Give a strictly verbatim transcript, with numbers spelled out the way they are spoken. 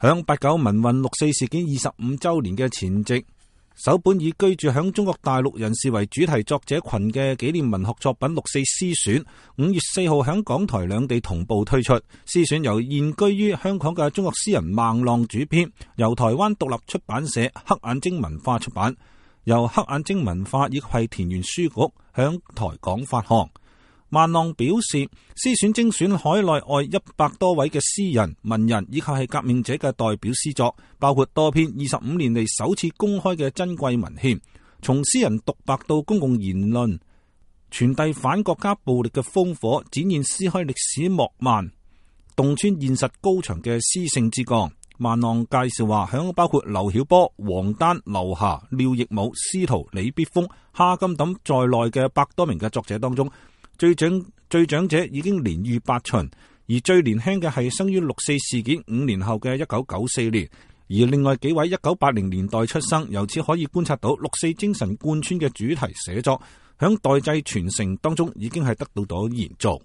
響八九民運六四事件二十五周年嘅前夕，首本以居住響中國大陸人士為主題作者群嘅紀念文學作品《六四詩選》，五月四號響港台兩地同步推出。詩選由現居於香港嘅中國詩人孟浪主編，由台灣獨立出版社黑眼睛文化出版，由黑眼睛文化以及係田園書局響台港發行。孟浪表示，詩選精選海內外一百多位嘅詩人、文人以及係革命者嘅代表詩作，包括多篇二十五年嚟首次公開嘅珍貴文獻，從詩人獨白到公共言論，傳遞反國家暴力嘅烽火，展現撕開歷史幕幔，洞穿現實高牆嘅詩性之鋼。孟浪介紹話，響包括劉曉波、王丹、劉霞、廖亦武、司徒、李必峰、哈金等在內嘅百多名嘅作者當中，最長最長者已經年逾八旬，而最年輕嘅係生於六四事件五年後嘅一九九四年，而另外幾位一九八零年代出生。由此可以觀察到六四精神貫穿嘅主題寫作，響代際傳承當中已經係得到咗延續。